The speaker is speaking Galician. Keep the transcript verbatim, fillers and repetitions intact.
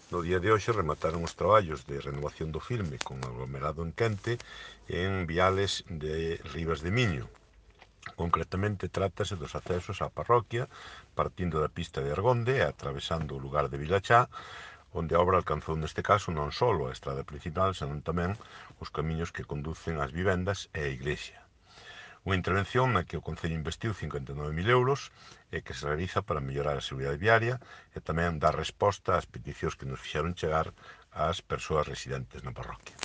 No día de hoxe remataron os traballos de renovación do filme con aglomerado en quente en viales de Ribas de Miño. Concretamente trátase dos accesos á parroquia partindo da pista de Argonde e atravesando o lugar de Vilachá, onde a obra alcanzou neste caso non só a estrada principal, senón tamén os camiños que conducen ás vivendas e á iglesia. Unha intervención na que o Concello investiu cincuenta e nove mil euros e que se realiza para mellorar a seguridade viaria e tamén dar resposta ás peticións que nos fixeron chegar ás persoas residentes na parroquia.